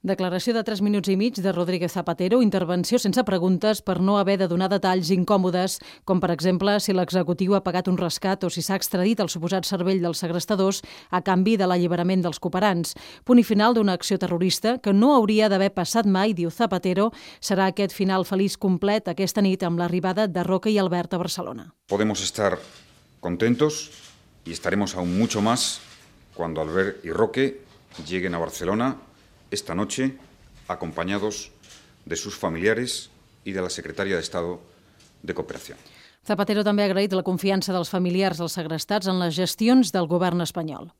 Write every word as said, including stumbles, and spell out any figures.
Declaració de tres minuts i mig de Rodríguez Zapatero, intervenció sense preguntes per no haver de donar detalls incòmodes, com per exemple si l'executiu ha pagat un rescat o si s'ha extradit el suposat cervell dels segrestadors a canvi de l'alliberament dels cooperants. Punt i final d'una acció terrorista que no hauria d'haver passat mai, diu Zapatero. Serà aquest final feliç complet aquesta nit amb l'arribada de Roque i Albert a Barcelona. Podemos estar contentos y estaremos aún mucho más cuando Albert y Roque lleguen a Barcelona esta noche, acompañados de sus familiares y de la secretaria de Estado de Cooperación. Zapatero també ha agraït la confiança dels familiars dels segrestats en les gestions del govern espanyol.